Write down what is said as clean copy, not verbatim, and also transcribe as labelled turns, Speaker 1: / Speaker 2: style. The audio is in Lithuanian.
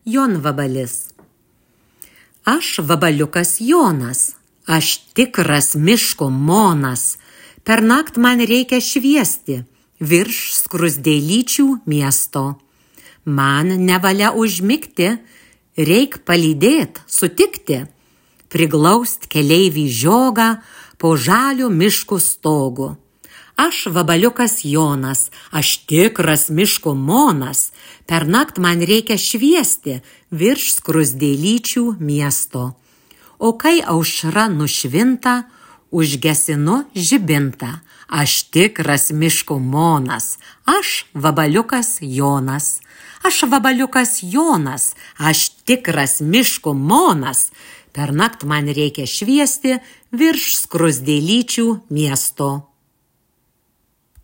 Speaker 1: Jonvabalis. Aš vabaliukas Jonas, aš tikras miško monas, pernakt man reikia šviesti virš skruzdėlyčių miesto. Man nevalia užmigti, reik palydėt, sutikti, priglaust keleivį žiogą po žalio miško stogu. Aš vabaliukas Jonas, aš tikras miško monas, pernakt man reikia šviesti virš skruzdėlyčių miesto. O kai aušra nušvinta, užgesinu žibintą, aš tikras miško monas, aš vabaliukas Jonas. Aš vabaliukas Jonas, aš tikras miško monas, pernakt man reikia šviesti virš skruzdėlyčių miesto.